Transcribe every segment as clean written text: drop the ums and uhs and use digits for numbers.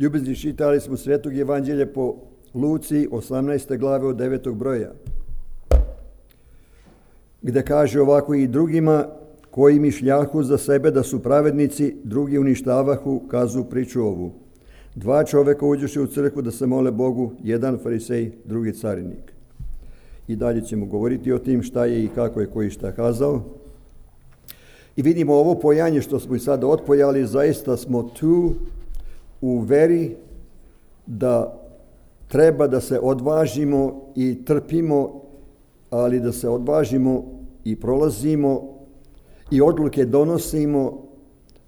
Ljubezni, čitali smo Svetog evanđelja po Luci 18. glave od 9. broja, gde kaže ovako: i drugima koji mišljahu za sebe da su pravednici, drugi uništavahu, kazu priču ovu. 2 čoveka uđoše u crkvu da se mole Bogu, jedan farisej, drugi carinik. I dalje ćemo govoriti o tim šta je i kako je koji šta kazao. I vidimo ovo pojanje što smo i sada otpojali, zaista smo tu u veri da treba da se odvažimo i trpimo, ali da se odvažimo i prolazimo i odluke donosimo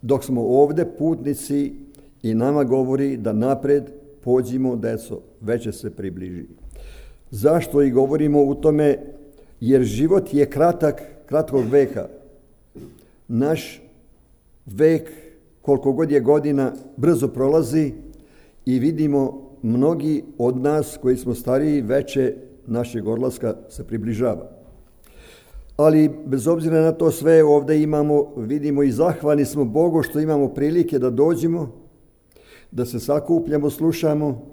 dok smo ovde putnici i nama govori da napred pođimo, deco, već će se približi. Zašto i govorimo u tome? Jer život je kratkog veka. Naš vek, koliko god je godina, brzo prolazi i vidimo mnogi od nas koji smo stariji, veće našeg odlaska se približava. Ali bez obzira na to sve ovdje vidimo i zahvalni smo Bogu što imamo prilike da dođemo, da se sakupljamo, slušamo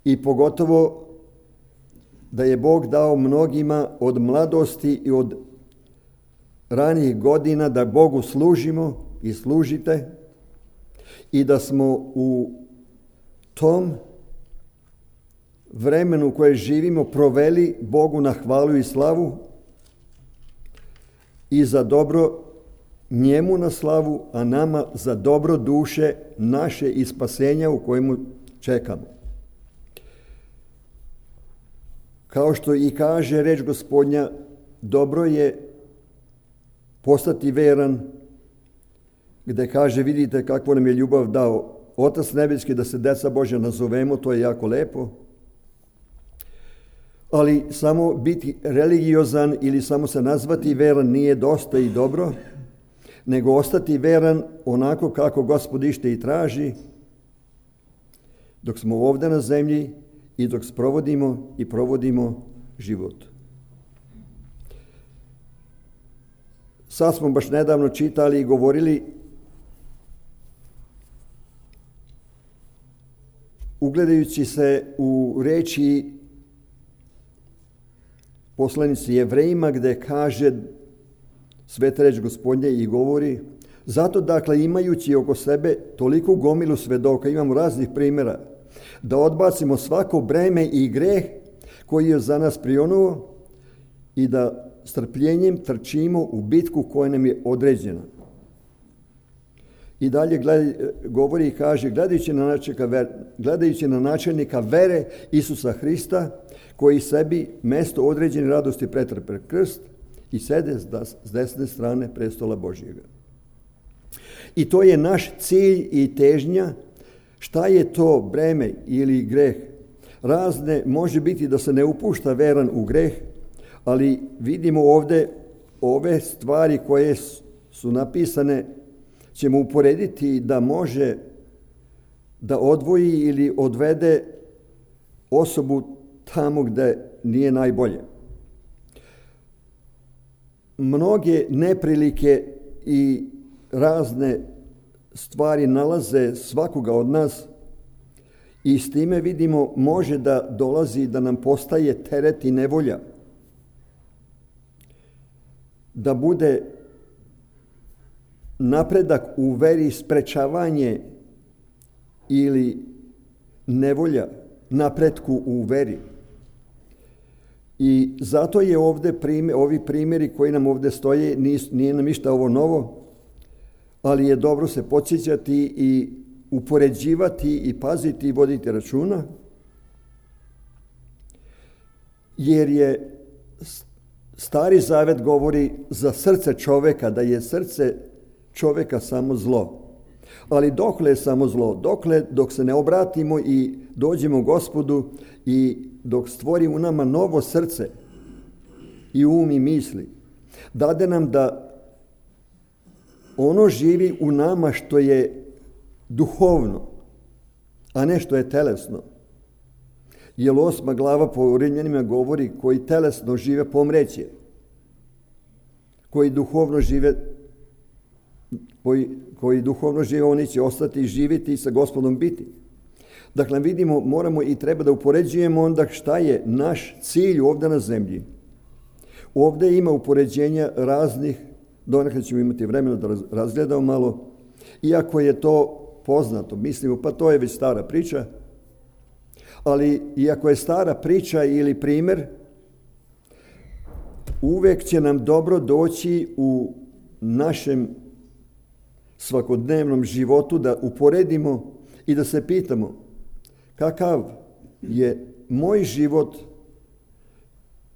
i pogotovo da je Bog dao mnogima od mladosti i od ranijih godina da Bogu služimo i služite i da smo u tom vremenu koje živimo proveli Bogu na hvalu i slavu i za dobro njemu na slavu, a nama za dobro duše naše i spasenja u kojemu čekamo. Kao što i kaže reč Gospodnja, dobro je postati veran, gde kaže: vidite kakvu nam je ljubav dao Otac nebeski da se deca Božja nazovemo, to je jako lepo. Ali samo biti religiozan ili samo se nazvati veran nije dosta i dobro, nego ostati veran onako kako Gospod ište i traži, dok smo ovdje na zemlji i dok sprovodimo i provodimo život. Sad smo baš nedavno čitali i govorili, ugledajući se u reči poslanici Jevrejima, gde kaže sveta reč Gospodnje i govori: zato dakle imajući oko sebe toliku gomilu svedoka, imamo raznih primjera, da odbacimo svako breme i greh koji je za nas prionuo i da strpljenjem trčimo u bitku koja nam je određena. I dalje govori i kaže: gledajući na načelnika vere Isusa Hrista, koji sebi mesto određene radosti pretrpe krst i sede s desne strane prestola Božjega. I to je naš cilj i težnja. Šta je to breme ili greh? Razne, može biti da se ne upušta veran u greh, ali vidimo ovdje ove stvari koje su napisane, ćemo uporediti da može da odvoji ili odvede osobu tamo gde nije najbolje. Mnoge neprilike i razne stvari nalaze svakoga od nas i s time vidimo može da dolazi da nam postaje teret i nevolja. Da bude napredak u veri sprečavanje ili nevolja napretku u veri. I zato je ovdje ovi primjeri koji nam ovdje stoje, nije nam ništa ovo novo, ali je dobro se podsjećati i upoređivati i paziti i voditi računa, jer je Stari Zavet govori za srce čoveka, da je srce čoveka samo zlo. Ali dokle je samo zlo? Dok se ne obratimo i dođemo Gospodu i dok stvori u nama novo srce i um i misli, dade nam da ono živi u nama što je duhovno, a ne što je telesno. Jer 8. glava po Rimljanima govori: koji telesno žive pomreće, koji duhovno žive oni će ostati i živjeti i sa Gospodom biti. Dakle, vidimo, moramo i treba da upoređujemo onda šta je naš cilj ovdje na zemlji. Ovdje ima upoređenja raznih, donekle ćemo imati vremena da razgledamo malo, iako je to poznato, mislimo, pa to je već stara priča, ali iako je stara priča ili primjer, uvijek će nam dobro doći u našem svakodnevnom životu da uporedimo i da se pitamo kakav je moj život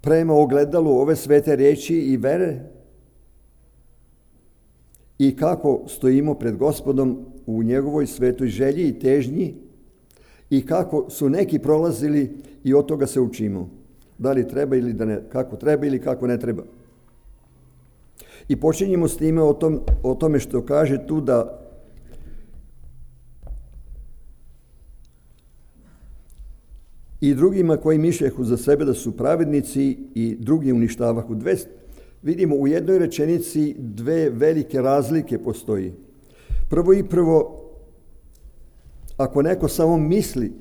prema ogledalu ove svete riječi i vere i kako stojimo pred Gospodom u njegovoj svetoj želji i težnji i kako su neki prolazili i od toga se učimo. Da li treba ili da ne, kako treba ili kako ne treba. I počinjemo s time o tome što kaže tu da i drugima koji mišljahu za sebe da su pravednici i drugi uništavahu. Vidimo u jednoj rečenici dve velike razlike postoji. Prvo, ako neko samo misli,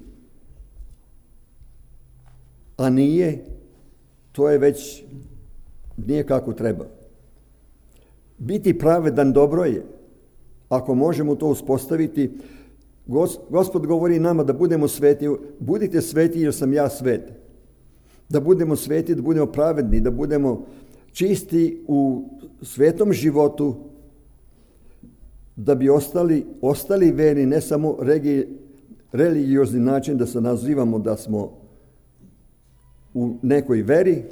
a nije, to je već nije kako treba. Biti pravedan dobro je, ako možemo to uspostaviti. Gospod govori nama da budemo sveti, budite sveti jer sam ja svet. Da budemo sveti, da budemo pravedni, da budemo čisti u svetom životu, da bi ostali verni, ne samo religiozni način da se nazivamo da smo u nekoj veri,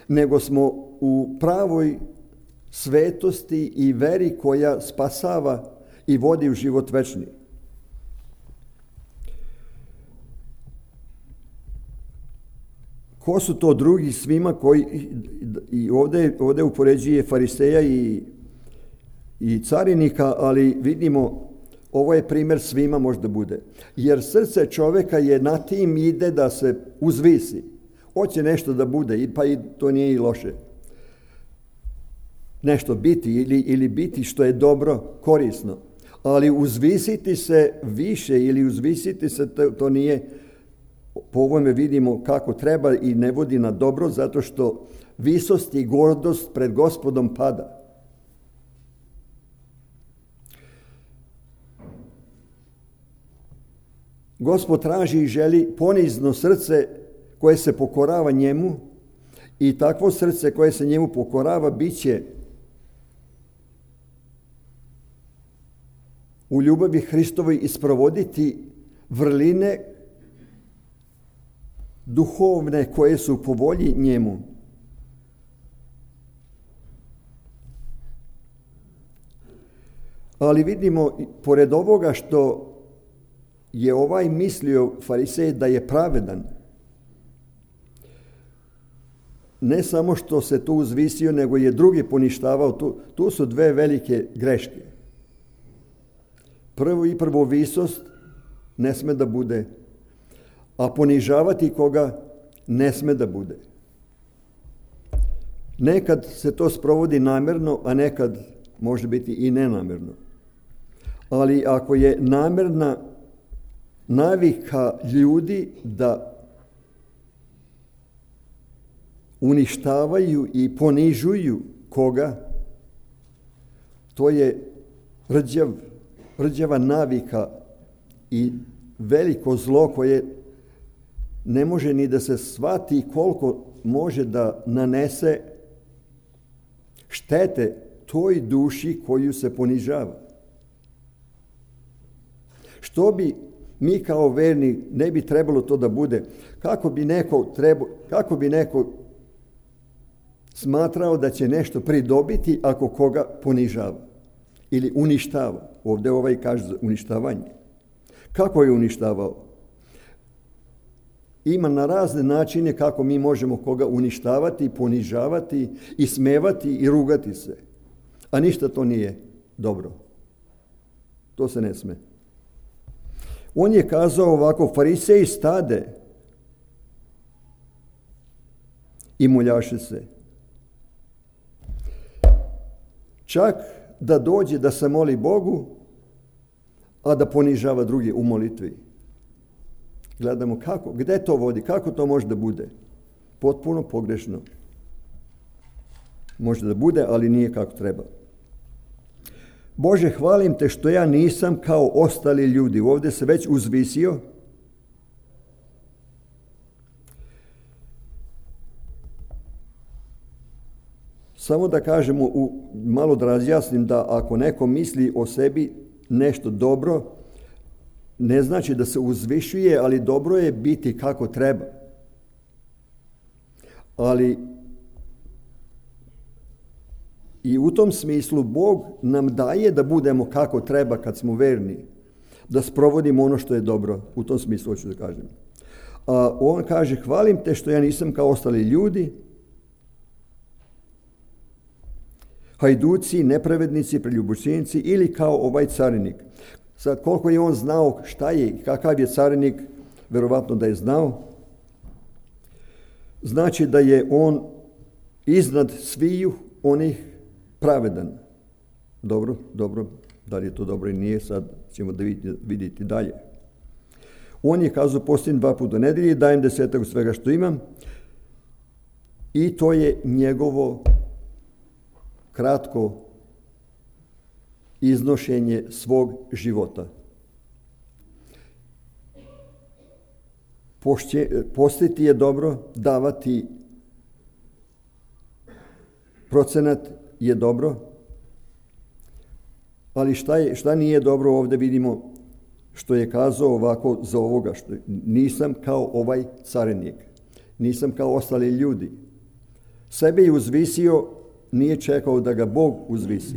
nego smo u pravoj svetosti i veri koja spasava i vodi u život večni. Ko su to drugi svima koji, i ovdje upoređuje fariseja i carinika, ali vidimo, ovo je primjer svima možda bude. Jer srce čovjeka je na tim ide da se uzvisi. Hoće nešto da bude, pa i to nije i loše. Nešto biti ili biti što je dobro, korisno. Ali uzvisiti se više ili uzvisiti se, to nije, po ovome vidimo kako treba i ne vodi na dobro, zato što visost i gordost pred Gospodom pada. Gospod traži i želi ponizno srce koje se pokorava njemu i takvo srce koje se njemu pokorava bit će u ljubavi Hristovoj isprovoditi vrline duhovne koje su po volji njemu. Ali vidimo, pored ovoga što je ovaj mislio farisej da je pravedan, ne samo što se tu uzvisio, nego je drugi poništavao. Tu su dve velike greške. Prvo visost ne sme da bude, a ponižavati koga ne sme da bude. Nekad se to sprovodi namjerno, a nekad može biti i nenamjerno. Ali ako je namjerna navika ljudi da uništavaju i ponižuju koga, to je rđava navika i veliko zlo koje ne može ni da se shvati koliko može da nanese štete toj duši koju se ponižava. Što bi mi kao verni ne bi trebalo to da bude? Kako bi neko smatrao da će nešto pridobiti ako koga ponižava ili uništava? Ovdje kaže za uništavanje. Kako je uništavao? Ima na razne načine kako mi možemo koga uništavati, ponižavati, ismevati i rugati se. A ništa to nije dobro. To se ne sme. On je kazao ovako: fariseji stade i moljaše se. Čak da dođe da se moli Bogu, a da ponižava druge u molitvi. Gledamo gdje to vodi, kako to može da bude. Potpuno pogrešno. Može da bude, ali nije kako treba. Bože, hvalim te što ja nisam kao ostali ljudi. Ovdje se već uzvisio. Samo da kažemo, malo da razjasnim, da ako neko misli o sebi nešto dobro, ne znači da se uzvišuje, ali dobro je biti kako treba. Ali i u tom smislu Bog nam daje da budemo kako treba kad smo verni, da sprovodimo ono što je dobro. U tom smislu hoću da kažem. On kaže, hvalim te što ja nisam kao ostali ljudi, hajduci, nepravednici, preljubočenci ili kao ovaj carinik. Sad, koliko je on znao šta je i kakav je carinik, verovatno da je znao, znači da je on iznad sviju onih pravedan. Dobro, da li je to dobro i nije, sad ćemo da vidjeti dalje. On je kazao, postim 2 puta u nedelji, dajem 10 svega što imam, i to je njegovo kratko iznošenje svog života. Postiti je dobro, davati procenat je dobro, ali šta nije dobro, ovdje vidimo što je kazao ovako za ovoga, što nisam kao ovaj carinik, nisam kao ostali ljudi. Sebe je uzvisio, nije čekao da ga Bog uzvisi.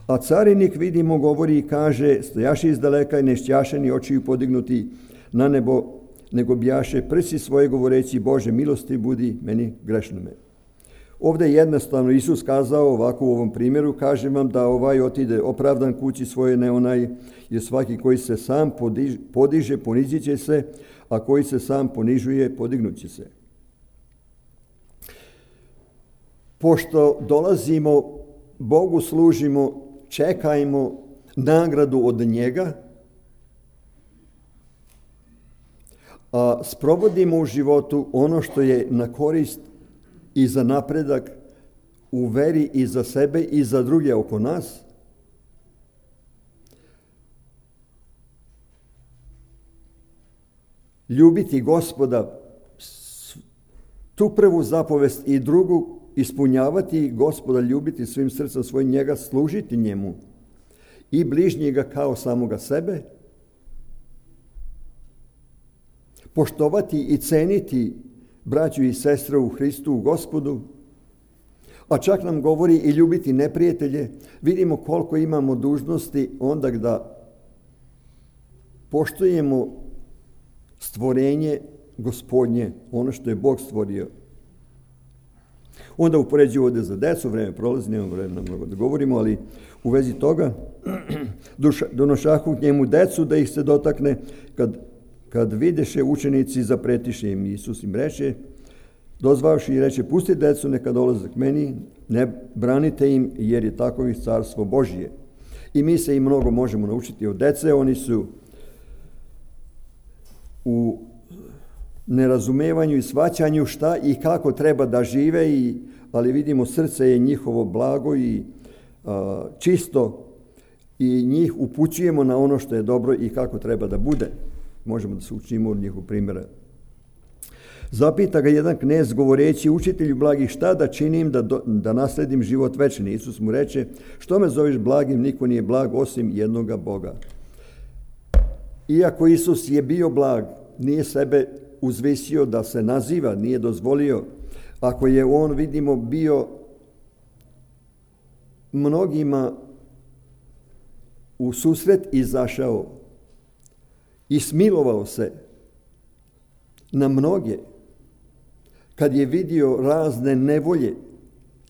A carinik, vidimo, govori i kaže, stojaše izdaleka i ne štjaše ni očiju podignuti na nebo, nego bjaše prsi svoje govoreći, Bože, milosti budi meni grešnome. Ovdje je jednostavno Isus kazao ovako u ovom primjeru, kažem vam da ovaj otide opravdan kući svoje, ne onaj, jer svaki koji se sam podiže, ponizit će se, a koji se sam ponižuje, podignut će se. Pošto dolazimo, Bogu služimo, čekajmo nagradu od njega, a sprovodimo u životu ono što je na korist i za napredak u veri i za sebe i za druge oko nas. Ljubiti Gospoda, tu prvu zapovest i drugu, ispunjavati Gospoda, ljubiti svim srcem svojim, njega služiti njemu i bližnjega kao samoga sebe, poštovati i ceniti braću i sestre u Hristu, u Gospodu, a čak nam govori i ljubiti neprijatelje. Vidimo koliko imamo dužnosti onda da poštujemo stvorenje Gospodnje, ono što je Bog stvorio. Onda upoređuju ovdje za decu, vreme prolazi, nemamo vremena mnogo da govorimo, ali u vezi toga donošahu k njemu decu da ih se dotakne, kad videše učenici zapretiše im. Isus im reče, dozvavši i reče, pusti decu, neka dolaze k meni, ne branite im, jer je takovih carstvo Božije. I mi se i mnogo možemo naučiti od dece, oni su u nerazumevanju i shvaćanju šta i kako treba da žive, ali vidimo srce je njihovo blago i čisto i njih upućujemo na ono što je dobro i kako treba da bude. Možemo da se učimo od njihovog primjera. Zapita ga jedan knez govoreći, učitelju blagi, šta da činim da nasledim život večni? Isus mu reče, što me zoveš blagim, niko nije blag osim jednoga Boga. Iako Isus je bio blag, nije sebe uzvisio da se naziva, nije dozvolio. Ako je on, vidimo, bio mnogima u susret izašao i smilovao se na mnoge, kad je vidio razne nevolje,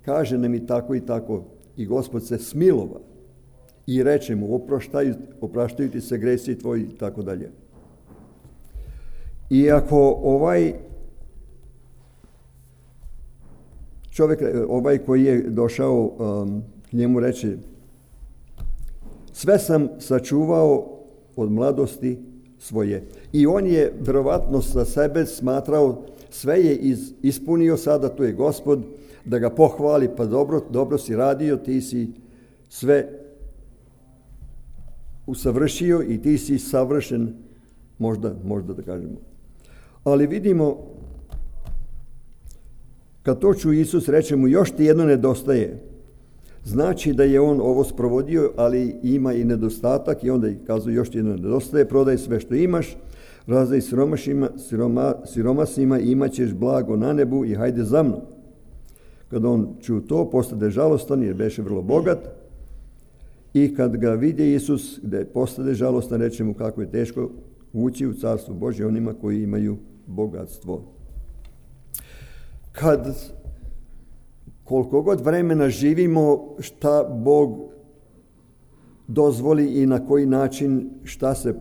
kaže nam i tako, i Gospod se smilova i reče mu, opraštaju ti se gresi tvoji i tako dalje. I ako ovaj čovjek, ovaj koji je došao k njemu reče, sve sam sačuvao od mladosti, svoje. I on je verovatno sa sebe smatrao, sve je ispunio, sada tu je Gospod, da ga pohvali, pa dobro si radio, ti si sve usavršio i ti si savršen, možda da kažemo. Ali vidimo, kad to ču Isus, reče mu, još ti jedno nedostaje. Znači da je on ovo sprovodio, ali ima i nedostatak i onda kazuje, još ti jedno nedostaje, prodaj sve što imaš, razdaj siromasima i imat ćeš blago na nebu i hajde za mnom. Kad on čuo to, postade žalostan jer beše vrlo bogat i kad ga vidi Isus, gde postade žalostan, reče mu kako je teško ući u carstvo Božje onima koji imaju bogatstvo. Koliko god vremena živimo, šta Bog dozvoli i na koji način šta se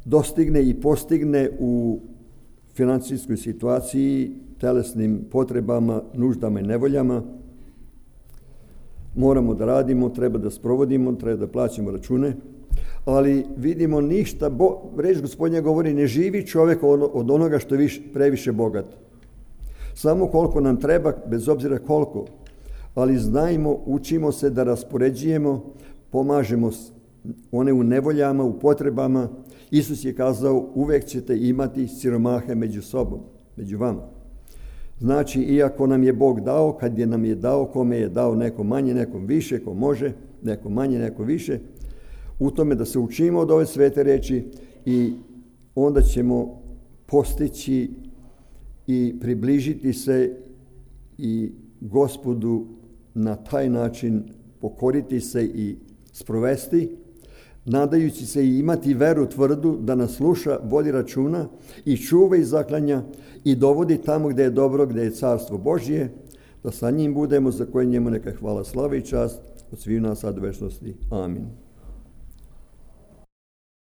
dostigne i postigne u financijskoj situaciji, telesnim potrebama, nuždama i nevoljama, moramo da radimo, treba da sprovodimo, treba da plaćamo račune, ali vidimo ništa, reč Gospodnja govori, ne živi čovjek od onoga što je previše bogat. Samo koliko nam treba, bez obzira koliko, ali znajmo, učimo se da raspoređujemo, pomažemo one u nevoljama, u potrebama. Isus je kazao, uvek ćete imati siromahe među sobom, među vama. Znači, iako nam je Bog dao, kad je nam je dao, kome je dao, neko manje, nekom više, ko može, neko manje, neko više, u tome da se učimo od ove svete reči i onda ćemo postići i približiti se i Gospodu na taj način, pokoriti se i sprovesti, nadajući se i imati veru tvrdu da nas sluša, vodi računa i čuva i zaklanja i dovodi tamo gde je dobro, gde je carstvo Božje, da sa njim budemo, za koje njemu neka hvala, slava i čast od svih nas sad u večnosti. Amin.